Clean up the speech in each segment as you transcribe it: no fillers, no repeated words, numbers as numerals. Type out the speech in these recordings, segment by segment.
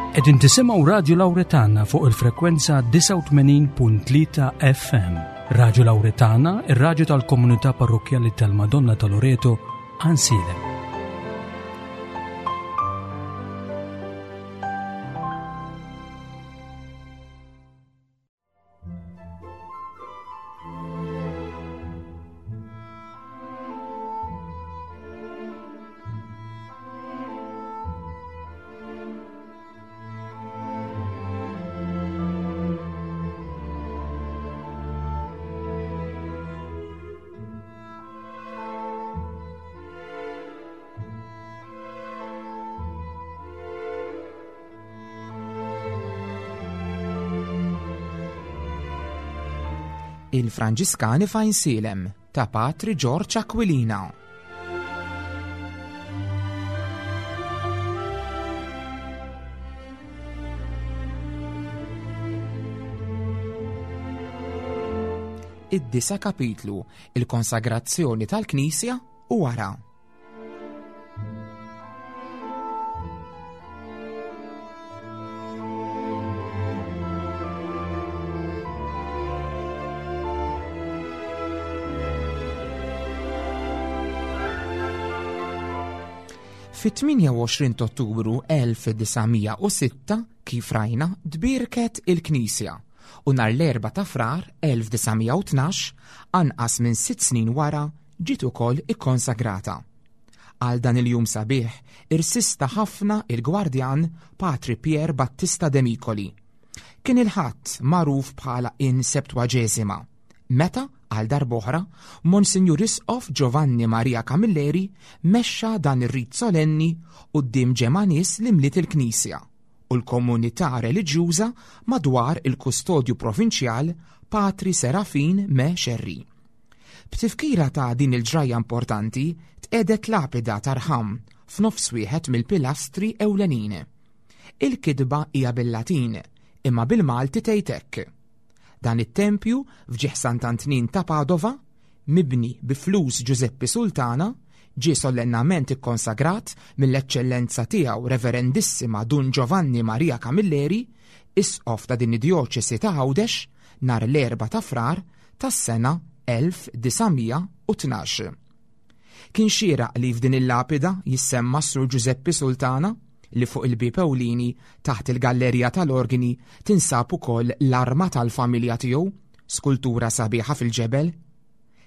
Qegħdin tisimgħu Radju Lawretana fuq il-frekwenza 89.3 FM. Radju Lawretana, ir-radju tal-komunità parrokkjali tal-Madonna ta' Loreto, Ansilem. Il-Franġiskani f'Għajnsielem ta' Patri Ġorġ Aquilina. Id-disa kapitlu, il-konsagrazzjoni tal-Knisja u wara. Fit-28 Ottubru 1906, kif rajna, tbierket il-Knisja u nhar l-Erbgħa ta' Frar 1912, anqas minn sitt snin wara, ġiet ukoll ikkonsagrata. Għal dan il-jum sabiħ irsista ħafna il-gwardjan Patri Pier Battista Demicoli. Kien il-Ħadd magħruf bħala in Septuagesima, meta, għal darb'oħra, Monsinjur Isqof Giovanni Maria Camilleri mexxa dan ir-rit solenni quddiem ġemgħa nies li mliet il-knisja u l-komunità reliġjuża madwar il-Kustodju Provinċjal Patri Serafin Me Xerri. B'tifkira ta' din il-ġrajja importanti, tqiegħdet lapida ta' rħam f'nofs wieħed mill-pilastri ewlenin. Il-kitba hija bil-Latin, imma bil-Malti tgħid hekk. Dan it-tempju f'ġieħ Sant'Antnin ta' Padova, mibni bi flus Ġużeppi Sultana, ġie sollennament ikkonsagrat mill-Eċċellenza Tiegħu Reverendissima Dun Giovanni Maria Camilleri, Isqof ta' din id-Djoċesi ta' Għawdex, nhar l-Erbgħa ta' Frar tas-sena 1912. Kien xieraq li f'din il-lapida jissemma s-Sur Ġużeppi Sultana, li fuq il-bieb ewlieni taħt il-gallerija tal-organi tinsab ukoll l-arma tal-familja tiegħu, skultura sabiħa fil-ġebel.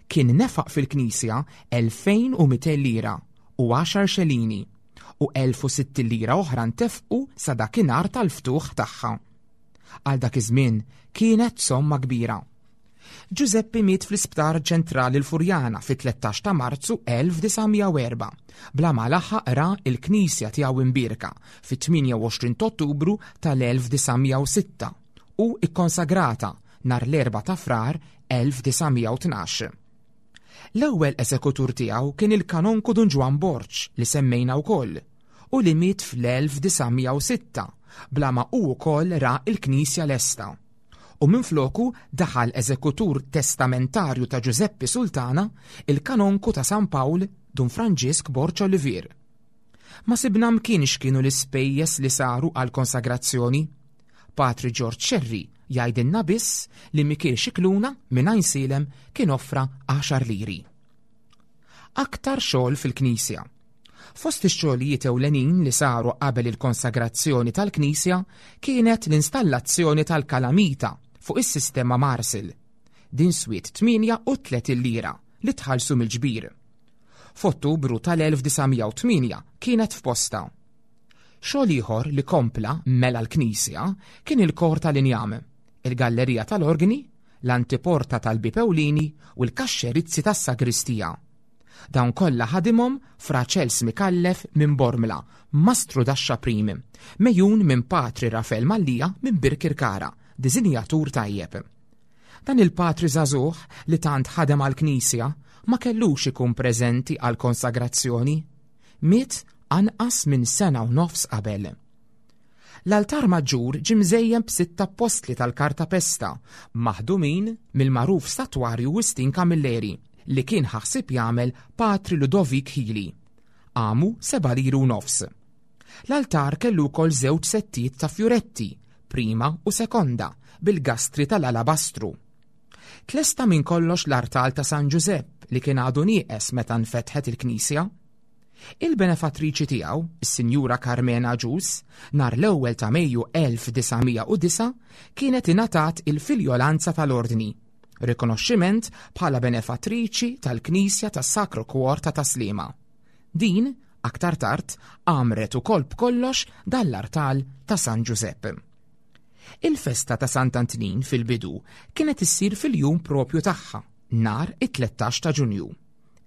Kien nefaq fil-knisja 2200 lira u għaxar xelini u 1060 lira oħra ntefqu sa dakinhar tal-ftuħ tagħha. Għal dak iż-żmien kienet somma kbira. Ġużeppi miet fl-Isptar Ċentrali l-Furjana fit-13 ta' Marzu 1904, bla ma laħaq ra l-knisja tiegħu imbierka fit-28 t'Ottubru tal-1906 u kkonsagrata nhar l-Erbgħa ta' Frar 1912. L-ewwel esekutur tiegħu kien il-Kanonku Dun Ġwann Borg li semmejna wkoll u li miet fl-1906 bla ma hu wkoll ra l-knisja lesta. U minfloku daħal eżekutur testamentarju ta' Ġużeppi Sultana, il-Kanonku ta' San Pawl, Dun Franġisk Borg Olivier. Ma sibna mkien x'kienu l-ispejjeż li saru għall-konsagrazzjoni. Patri Ġorġ Scerri jgħidilna biss li Mikiel Scicluna minn Għajnsielem kien offra għaxar liri. Aktar xogħol fil-knisja. Fost ix-xogħlijiet ewlenin li saru qabel il-konsagrazzjoni tal-knisja kienet l-installazzjoni tal-kalamita fuq is-sistema Marsil. Din swiet 38 lira li tħallsu mill-ġbir. F'Ottubru tal-1908 kienet f'postha. Xogħol ieħor li kompla mela l-knisja kien il-kor tal-injam, il-gallerija tal-orgni, l-antiporta tal-bieb ewlieni u l-kaxxerizzi tas-sagristija. Dawn kollha ħadimhom Fra Ċels Micallef minn Bormla, mastru daxxa prim, megħjun minn Patri Rafel Mallia minn Birkirkara, diżinjatur tajjeb. Dan il-patri żagħżugħ li tant ħadem għall-Knisja ma kellux ikun preżenti għall-konsagrazzjoni. Miet anqas minn sena u nofs qabel. L-altar maġġur ġie mżejjen b'sitt appostli tal-kartapesta maħdumin mill-magħruf statwarju Wistin Camilleri li kien ħa ħsieb jagħmel Patri Ludovic Hili. Qamu seba' liri u nofs. L-altar kellu wkoll żewġ settijiet ta' fjuretti, prima u sekonda, bil-gastri tal-alabastru. Tlesta minn kollox l-artal ta' San Ġużepp li kien għadu nieqes meta nfetħet il-knisja. Il-benefattriċi tiegħu, is-Sinjura Carmena Agius, nhar l-ewwel ta' Mejju 1909 kienet ingħatat il-filjolanza tal-Ordni, rikonoxximent bħala benefattriċi tal-Knisja tas-Sacro Cuor ta' Tas-Sliema. Din, aktar tard, għamret ukoll b'kollox dan l-artal ta' San Ġużepp. Il-festa ta' Sant'Antnin fil-bidu kienet issir fil-jum propju tagħha, nhar it-13 ta' Ġunju.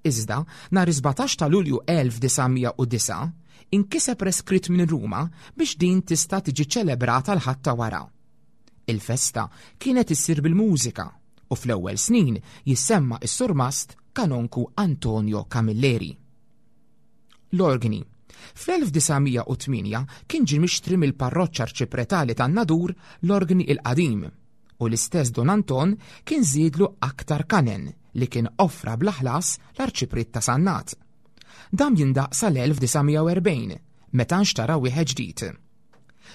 Iżda, nhar is-17 ta' Lulju 1909, inkiseb reskritt minn Ruma biex din tista' tiġi ċċelebrata l-Ħadd ta' wara. Il-festa kienet issir bil-mużika u fl-ewwel snin jissemma s-surmast Kanonku Antonio Camilleri. L-organi. Fl-1908 kien ġie mixtri mill-Parroċċa Arċipretali tan-Nadur l-organi il-qadim u l-istess Don Anton kien żiedlu aktar kanen li kien offra bla ħlas l-Arċipriet ta' Sannat. Dam jindaqq sal-1940 meta nxtara wieħed ġdid.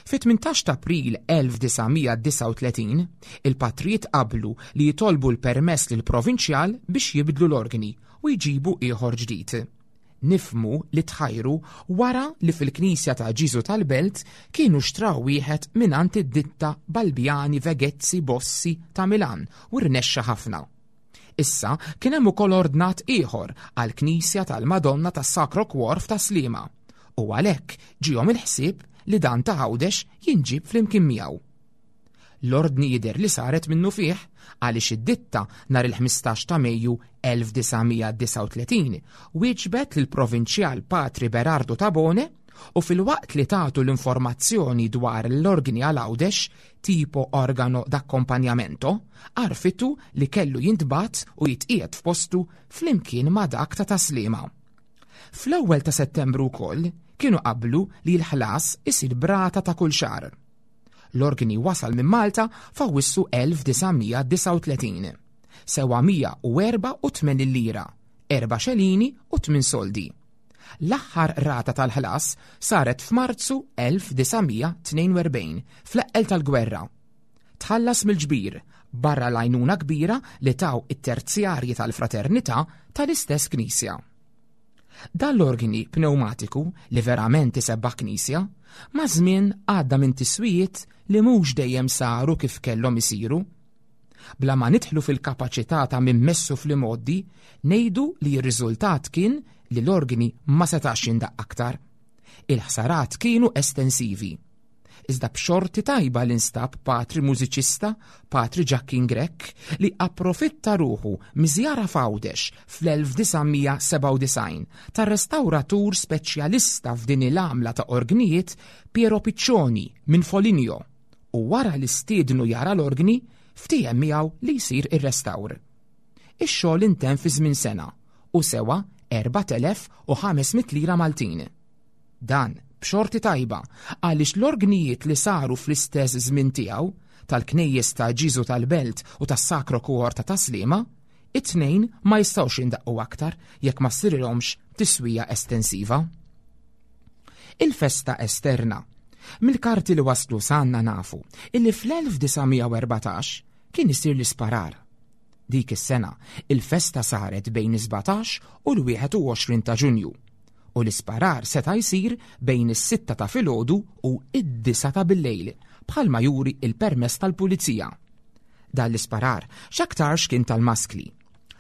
Fit-18 ta' April 1939, il-patrijiet qablu li jitolbu l-permess lill-Provinċjal biex jibdlu l-organi u jġibu ieħor ġdid. Nifhmu li tħajru wara li fil-knisja ta' Ġiżu tal-Belt kienu xtraw wieħed mingħand id-ditta Balbiani Vegezzi Bossi ta' Milan u rnexxa ħafna. Issa kien hemm ukoll ordnat ieħor għall-knisja tal-Madonna tas-Sacro Cuor f'Tas-Sliema u għalhekk ġiehom il-ħsieb li dan ta' Għawdex jinġieb flimkien miegħu. L-ordni jidher li saret minnufih għaliex id-ditta nhar il-15 ta' Mejju 1939 wieġbet lill-Provinċjal Patri Berardo Tabone u filwaqt li tatu l-informazzjoni dwar l-organi għal Għawdex tipo organo d'accompagnamento, għarrfitu li kellu jintbagħat u jitqiegħed f'postu flimkien ma' dak ta' Tas-Sliema. Fl-ewwel ta' Settembru wkoll kienu qablu li l-ħlas isir b'rata ta' kull xahar. L-organi wasal minn Malta f'Awwissu 1939. Sewa 184 lira, erba' xelini u tmien soldi. L-aħħar rata tal-ħlas saret f'Marzu 1942, fl-eqqel tal-gwerra. Tħallas mill-ġbir, barra l-għajnuna kbira li taw it-terzjarji tal-Fraternità tal-istess knisja. Dan l-organi pnewmatiku li verament isebbaħ knisja, maż-żmien għadda minn tiswijiet li mhux dejjem saru kif kellhom isiru. Bla ma nidħlu fil-kapaċità ta' min messu fl-imgħoddi, ngħidu li r-riżultat kien li l-organi ma setax jindaqq aktar. Il-ħsarat kienu estensivi. Iżda b'xorti tajba li nstab patri mużiċista, Patri Ġakkin Grech, li approfitta ruħu miż-żjara f'Għawdex fl-1997 tar-restawratur speċjalista f'din il-għamla ta' orgnijiet Piero Piccioni minn Foligno u wara li stiednu jara l-orgni, ftiehem miegħu li jsir ir-restawr. Ix-xogħol intemm fi żmien sena u sewa 4,500 lira Maltin. Dan b'xorti tajba għaliex l-orgnijiet li saru fl-istess żmien tiegħu, tal-knejjes ta' Ġiżu tal-Belt u tas-Sacro Cuor ta' Tas-Sliema, it-tnejn ma jistgħux jindaqqu aktar jekk ma ssirilhomx tiswija estensiva. Il-festa esterna. Mill-karti li waslu s'għandna nafu illi fl-1914 kien isir l-isparar. Dik is-sena, il-festa saret bejn is-17 u l-21 ta' Ġunju u l-isparar seta' jsir bejn is-sitta ta' filgħodu u d-disgħa ta' billejl bħalma juri l-permess tal-pulizija. Dan l-isparar x'aktarx kien tal-maskli.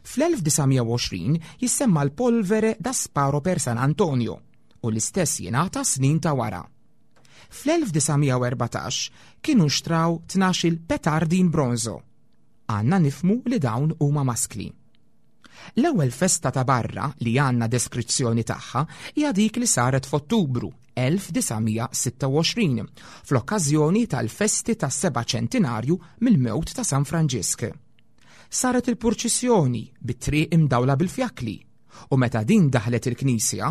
Fl-1920 jissemma l-polvere da sparo per San Antonio u l-istess jingħata snin ta' wara. Fl-1914 kienu nxtraw 12-il petardi in bronzo. Għandna nifhmu li dawn huma maskli. L-ewwel festa ta' barra li għandna deskrizzjoni tagħha hija dik li saret f'Ottubru 1926 fl-okkażjoni tal-festi tas-seba' ċentinarju mill-mewt ta' San Franġisk. Saret il-purċissjoni bit-triq imdawla bil-fjakkli u meta din daħlet il-knisja,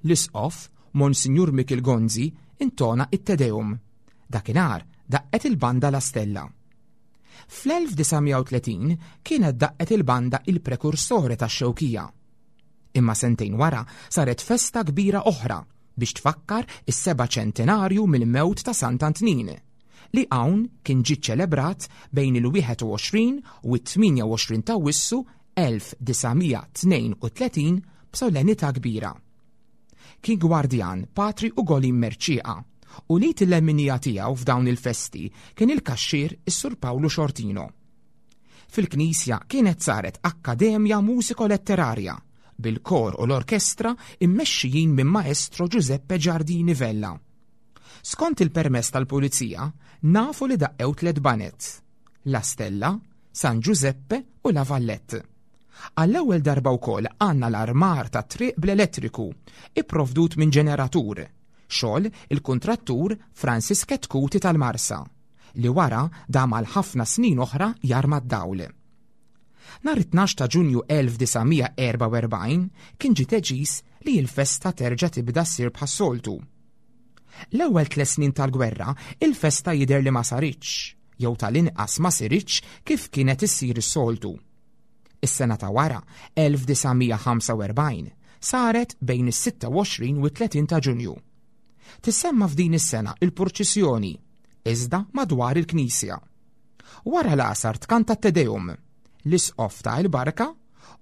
l-Isqof, Monsinjur Mikiel Gonzi, intona it-Te Deum. Dakinhar daqqet il-banda La Stella. Fl-1930 kienet daqqet il-banda Il Precursore tax-Xewkija. Imma sentejn wara saret festa kbira oħra. biex tfakkar is-seba' ċentenarju mill-mewt ta' Sant'Antnin, li hawn kien ġie ċċelebrat bejn il-21 u t-28 t'Awwissu 1932 b'solennità kbira. Kien gwardjan Patri Ugolin Mercieca u l-id il-leminija tiegħu f'dawn il-festi kien il-kaxxier is-Sur Pawlu Xortino. Fil-knisja kienet saret akkademja musiko-letterarja bil-kor u l-orkestra immexxijin minn Maestro Giuseppe Giardini Vella. Skont il-permess tal-pulizija, nafu li daqqew tlet baned, La Stella, San Giuseppe u La Vallette. Għall-ewwel darba wkoll għandna l-armar tat-triq bl-elettriku, ipprovdut minn ġeneratur, xogħol il-kuntrattur Francis Chetcuti tal-Marsa, li wara dam għal ħafna snin oħra jarma d-dawl. Nhar it-tnax ta' Ġunju 1944 kien ġie deċiż li l-festa terġa' tibda ssir bħas-soltu. L-ewwel tliet snin tal-gwerra il-festa jidher li ma saritx, jew tal-inqas ma siritx kif kienet issir is-soltu. Is-sena ta' wara, 1945, saret bejn is-26 u t-30 ta' Ġunju. Tissemma f'din is-sena il-purċissjoni, iżda madwar il-knisja. Wara l-għasar tkanta t-Te Deum, l-Isqof ta il-barka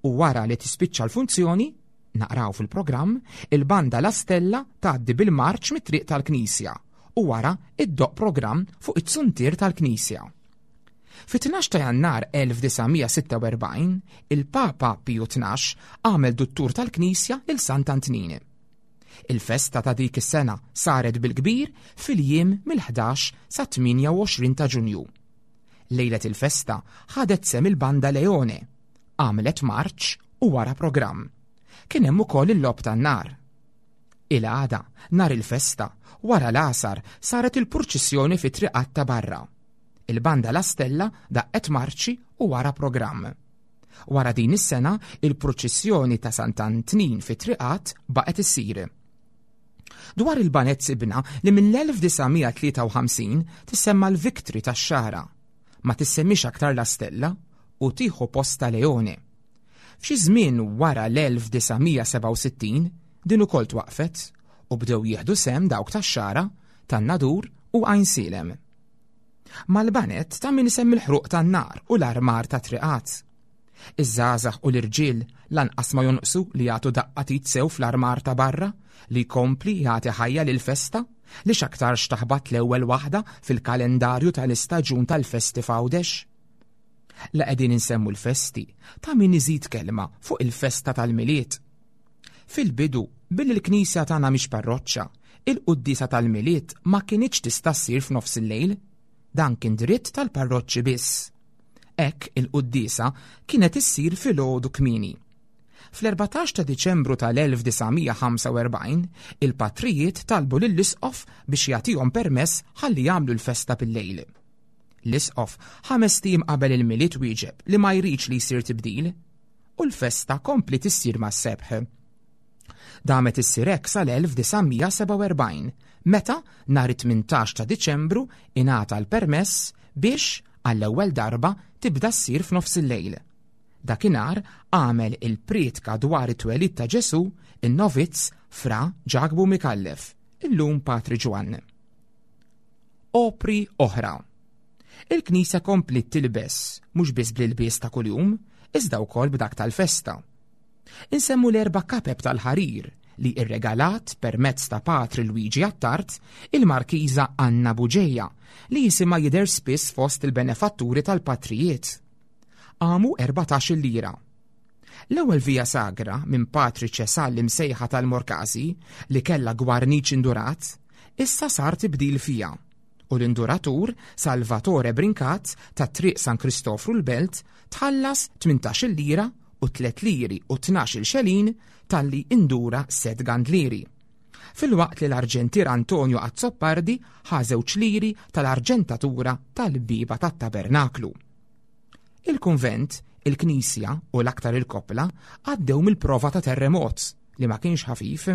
u wara li tispiċċa l-funzjoni, naqraw fil-programm, il-banda La Stella tgħaddi bil-marċ mit-triq tal-knisja u wara iddoqq programm fuq it-zuntier tal-knisja. Fit-12 ta' Jannar 1946, il-Papa Piju 12 għamel duttur tal-knisja lil Sant'Antnin. Il-festa ta' dik is-sena saret bil-kbir fil-jiem mill-11 sa 28 ta' Ġunju. Lejlet il-festa ħadet sehem il-Banda Leone, għamlet marċ u wara programm. Kien hemm ukoll il-logħob tan-nar. Il-għada, nhar il-festa, wara l-għasar saret il-purċissjoni fit-triqat ta' barra. Il-Banda La Stella daqqet marċi u wara programm. Wara din is-sena, il-purċissjoni ta' Sant'Antnin fit-triqat baqgħet issir. Dwar il-baned sibna li mill-1953 tissemma l-Victory tax-Xagħra. Ma tissemmix aktar La Stella u tieħu postha Leone. F'xi żmien wara l-1967 din ukoll twaqqfet u bdew jieħdu sehem dawk tax-Xagħra, tan-Nadur u Għajnsielem. Mal-baned ta' min isemmi l-ħruq tan-nar u l-armar ta' triqat. Iż-żgħażagħ u l-irġiel lanqas ma jonqsu li jagħtu daqqa t'id sew fl-armar ta' barra li jkompli jagħti ħajja lill-festa li x'aktarx taħbat l-ewwel waħda fil-kalendarju tal-istaġun tal-festi f'Għawdex. La qegħdin insemmu l-festi, ta' min iżid kelma fuq il-festa tal-Milied. Fil-bidu, billi l-knisja tagħna mhix parroċċa, il-quddiesa tal-Milied ma kinitx tista' ssir f'nofs il-lejl. Dan kien dritt tal-parroċċi biss. Hekk il-quddiesa kienet issir filgħodu kmieni. Fl-14 ta' Diċembru tal-1945, il-patrijiet talbu lill-isqof biex jagħtihom permess ħalli jagħmlu l-festa bil-lejl. L-isqof ħamest ijiem qabel il-Milied wieġeb li ma jridx li jsir tibdil. U l-festa kompliet issir mas-sebħ. Damet issir hekk sal-1947, meta nhar it-18 ta' Diċembru ingħata l-permess biex, għall-ewwel darba, tibda ssir f'nofs il-lejl. Dakinhar għamel il-prietka dwar it-twelid ta' Ġesù in-novizz Fra Ġakbu Micallef, illum Patri Ġwann. Opri oħra. Il-Knisja kompliet tilbes, mhux biss bl-ilbies ta' kuljum, iżda wkoll b'dak tal-festa. Insemmu l-erba' kapep tal-ħarir li irregalat permezz ta' Patri Luigi Attard il-Markiża Anna Bugeja li jisimha jidher spiss fost il-benefatturi tal-patrijiet. Qamu 14-il lira. L-ewwel Via Sagra minn Patri Ċesal imsejħa tal-Morkasi li kellha gwarniċ indurat, issa sar tibdil fiha u l-induratur Salvatore Brincat ta' Triq San Kristofru l-Belt tħallas 18-il lira u tliet liri u tnax-il xelin talli indura sett gandlieri. Filwaqt li l-arġentier Antonio Azzopardi ħa żewġ liri tal-arġentatura tal-bieba tat-tabernaklu. Il-kunvent, il-knisja u l-aktar il-koppla għaddew mill-prova ta' terremot li ma kienx ħafif.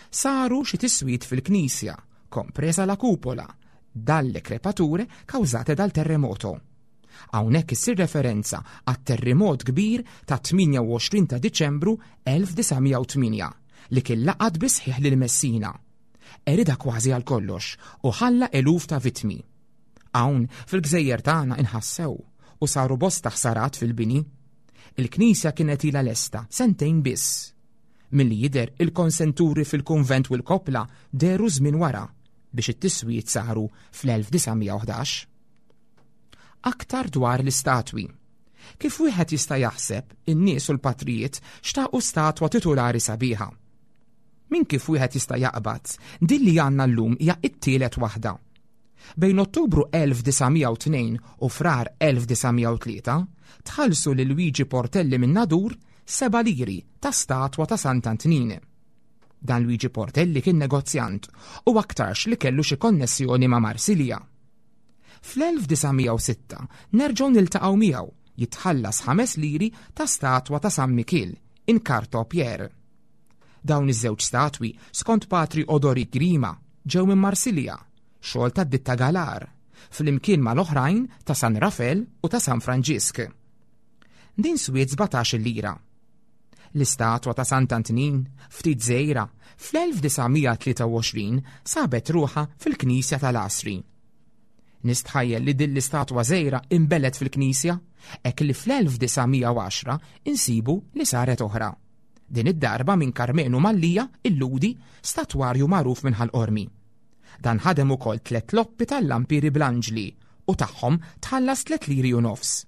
Saru xi tiswiet fil-knisja, compresa la cupola, dalle crepature causate dal terremoto. Hawnhekk issir referenza għat-terremot kbir ta' 28 ta' Diċembru 1908 li kien laqat bisħiħ lil Messina. Erida kważi għal kollox u ħalla eluf ta' vittmi. Hawn fil-gżejjer tagħna inħassew u saru bosta ħsarat fil-bini. Il-knisja kienet ilha lesta sentejn biss. Milli jidher il-konsenturi fil-kunvent u l-koppla dehru żmien wara biex it-tiswijiet saru fl-1911. Aktar dwar l-istatwi. Kif wieħed jista' jaħseb, in-nies u l-patrijiet xtaqu statwa titulari sabiħa. Min kif wieħed jista' jaqbad, din li għandna llum hija t-tielet waħda. Bejn Ottubru 1902 u Frar 1903, tħallsu lil Luigi Portelli minn Nadur seba' liri ta' statwa ta' Sant'Antnin. Dan Luigi Portelli kien negozjant u aktarx li kellu xi konnessjoni ma' Marsilja. Fl-1906 nerġgħu niltaqgħu miegħu jitħallas ħames liri ta' statwa ta' San Mikiel in Carto Pierre. Dawn iż-żewġ statwi, skont Patri Odori Grima, ġew minn Marsilja, xogħol tad-ditta Galar, flimkien mal-oħrajn ta' San Rafel u ta' San Franġisk. Din swiet 17-il lira. L-istatwa ta' Sant'Antnin, ftit żgħira, fl-1923 sabet ruħha fil-knisja tal-Għasri. Nistħajjel li din l-istatwa żgħira inbelet fil-knisja, hekk li fl-1910 insibu li saret oħra. Din id-darba minn Karmenu Mallia, il-Lhudi, statwarju magħruf minn Ħal Qormi. Dan ħadem ukoll tliet loppi tal-lampieri bl-anġli u tagħhom tħallas tliet liri u nofs.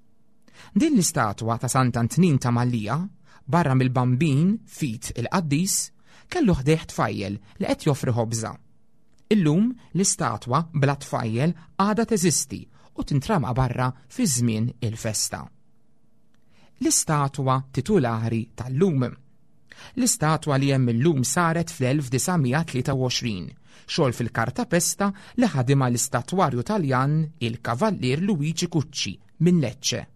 Din l-istatwa ta' Sant'Antnin ta' Mallia, barra mill-Bambin f'id il-qaddis, kellu ħdejh tfajjel li qed joffri ħobża. Illum l-istatwa bla tfajjel għadha teżisti u tintrama barra fi żmien il-festa. L-istatwa titulari tal-lum. L-istatwa li hemm illum saret fl-1923, xogħol fil-kartapesta li ħadimha l-istatwarju Taljan il-Kavallier Luigi Cucci minn Lecce.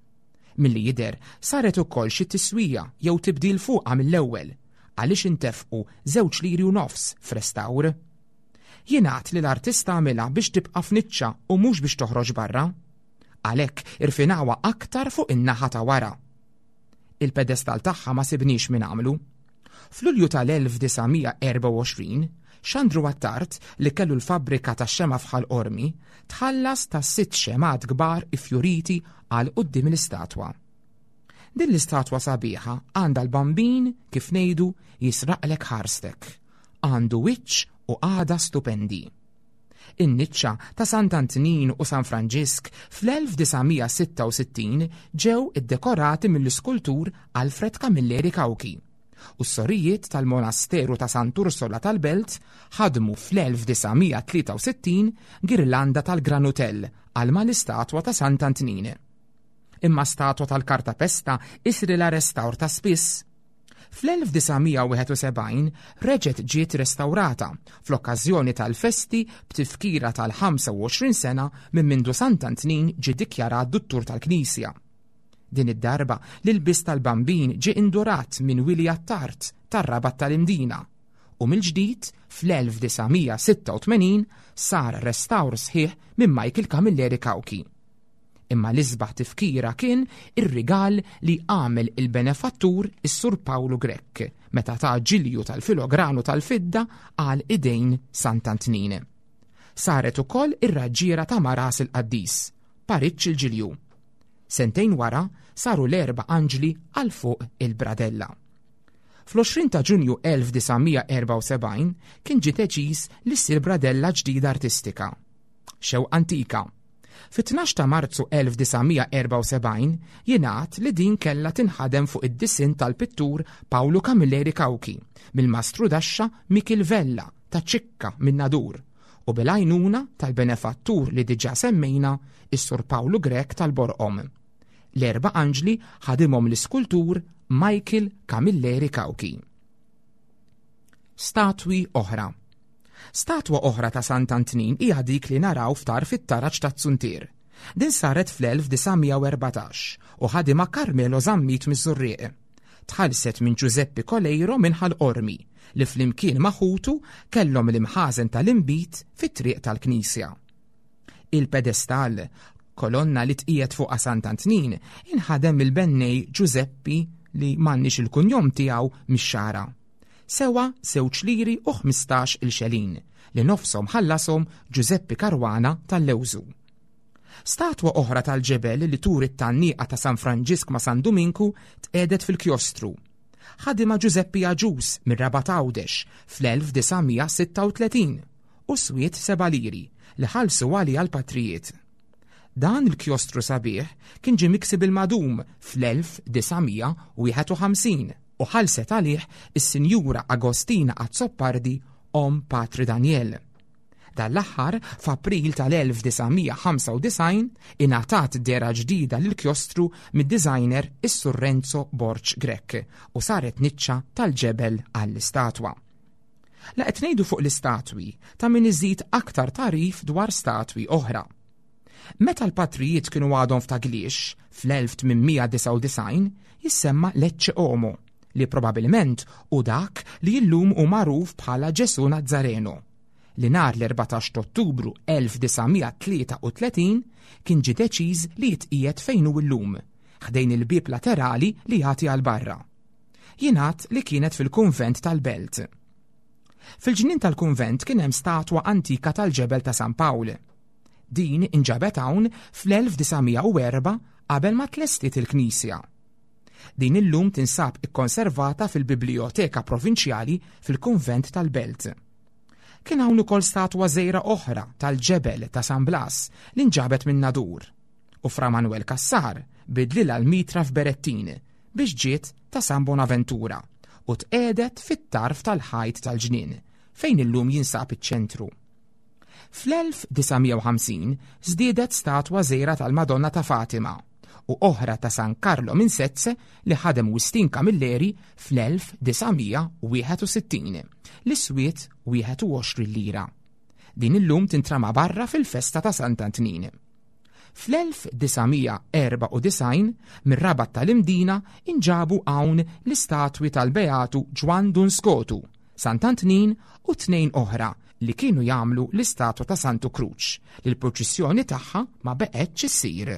Milli jidher, saret ukoll xi tiswija jew tibdil fuqha mill-ewwel, għaliex intefqu żewġ liri u nofs f'restawr. Jingħad li l-artista għamilha biex tibqa' f'niċċa u mhux biex toħroġ barra. Għalhekk irfinawha aktar fuq in-naħa ta' wara. Il-pedestal tagħha ma sibniex min għamlu. F'Lulju tal-1924, Xandru Attard, li kellu l-fabbrika tax-xema' f'Ħal Qormi, tħallas ta' sitt xemgħat kbar iffjuriti għal quddiem l-istatwa. Din l-istatwa sabiħa għandha l-Bambin, kif ngħidu, jisraqlek ħarstek. Għandu wiċċ u qagħda stupendi. In-niċċa ta' Sant'Antnin u San Franġisk fl-1966 ġew iddekorati mill-iskultur Alfred Camilleri Cauchi u s-sorijiet tal-monasteru ta' Sant'Ursola tal-Belt ħadmu fl-1963 girlanda tal-granutell għal mal-istatwa ta' Sant'Antnin. Imma statwa tal-kartapesta isrilha restawr ta' spiss. Fl-1971 reġgħet ġiet restawrata fl-okkażjoni tal-festi b'tifkira tal-25 sena minn mindu Sant'Antnin ġie dikjarat Duttur tal-Knisja. Din id-darba l-ilbies tal-Bambin ġie indurat minn Willy Attard tar-Rabat tal-Imdina u mill-ġdid fl-1986 sar restawr sħiħ minn Michael Camilleri Cauchi. Imma l-isbaħ tifkira kien ir-rigal li għamel il-benefattur is-Sur Pawlu Grech meta ta ġilju tal-filogranu tal-fidda għal idejn Sant'Antnin. Saret ukoll ir-raġġiera ta' Maras il-Qaddis, pariġġ il-ġilju. Sentejn wara saru l-erba' anġli għal fuq il-bradella. Fl-20 ta' Ġunju 1974 kien ġie deċiż li ssir bradella ġdida artistika. Xewqa antika Fit-12 ta' Marzu 1974 jingħad li din kellha tinħadem fuq id-disinn tal-pittur Paolo Camilleri Cauchi mill-mastru daxxa Mikiel Vella ta' Ċikka min-Nadur u bil-għajnuna tal-benefattur li diġà semmejna is-Sur Pawlu Grech tal-Borqom. L-erba' anġli ħadimhom l-iskultur Michael Camilleri Cauchi. Statwi oħra. Statwa oħra ta' Sant'Antnin hija dik li naraw f'tarf it-taraġ taz-Zuntier. Din saret fl-1914 u ħadimha Carmelo Zammit miż-Żurrieq. Tħallset minn Ġużeppi Coleiro minn Ħal Qormi li flimkien ma' ħutu kellhom l-imħażen tal-inbid fit-triq tal-knisja. Il-pedestall, kolonna li tqiegħed fuqha Sant'Antnin, inħadem mill-bennej Ġużeppi li m'għandniex il-kunjom tiegħu mix-Xagħra. Sewa żewġ liri u 15 il-xelin li nofshom ħallashom Ġużeppi Caruana tal-Lewżu. Statwa oħra tal-ġebel li turi t-tgħanniqa ta' San Franġisk ma' San Duminku tqiegħdet fil-kjostru. Ħadimha Ġużeppi Agius mir-Rabat Għawdex fl-1936 u swiet seba' liri li ħallsu għaliha l-patrijiet. Dan il-kjostru sabiħ kien ġie miksi bil-madum fl-1951 u ħallset għalih is-Sinjura Agostina Azzopardi omm Patri Daniel. Dan l-aħħar, f'April tal-1995, ingħatat dehra ġdida lill-kjostru mid-designer is-Sur Renzo Borg Grech u saret niċċa tal-ġebel għall-istatwa. La qed ngħidu fuq l-istatwi, ta' min iżid aktar tagħrif dwar statwi oħra. Meta l-patrijiet kienu għadhom f'Tagliex, fl-1899, jissemma Lecce Homo, li probabilment hu dak li llum hu magħruf bħala Ġesù Nazzareno, li nhar l-14 t'Ottubru 1933 kien ġie deċiż li jitqiegħed fejn hu llum, ħdejn il-bieb laterali li jagħti għal barra. Jingħad li kienet fil-kunvent tal-Belt. Fil-ġnien tal-kunvent kien hemm statwa antika tal-ġebel ta' San Pawl. Din inġabet hawn fl-1904 qabel ma tlestiet il-knisja. Din illum tinsab ikkonservata fil-Biblijoteka Provinċjali fil-Kunvent tal-Belt. Kien hawn ukoll statwa żgħira oħra tal-ġebel ta' San Blas li nġabet minn Nadur u Fra Manuel Cassar bidlilha l-mitra f'Berettin biex ġiet ta' San Bonaventura u tqiegħdet fit-tarf tal-ħajt tal-ġnien fejn illum jinsab iċ-ċentru. Fl-1950 żdiedet statwa żgħira tal-Madonna ta' Fatima u oħra ta' San Carlo minn Sezze li ħadem Wistin Camilleri fl-1961 li swiet 21 lira. Din illum tintrama barra fil-festa ta' Sant'Antnin. Fl-1994 mir-Rabat tal-Imdina inġabu hawn l-istatwi tal-Beatu Ġwann Dun Skotu, Sant'Antnin u tnejn oħra li kienu jagħmlu l-istatwa ta' Santu Kruċ li l-purċissjoni tagħha ma beqgħetx issir.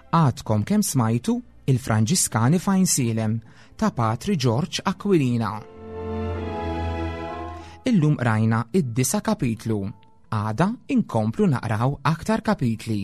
Għadkom kemm smajtu Il-Franġiskani f'Għajnsielem ta' Patri Ġorġ Aquilina. Illum qrajna id-disa' kapitlu. Għada inkomplu naqraw aktar kapitli.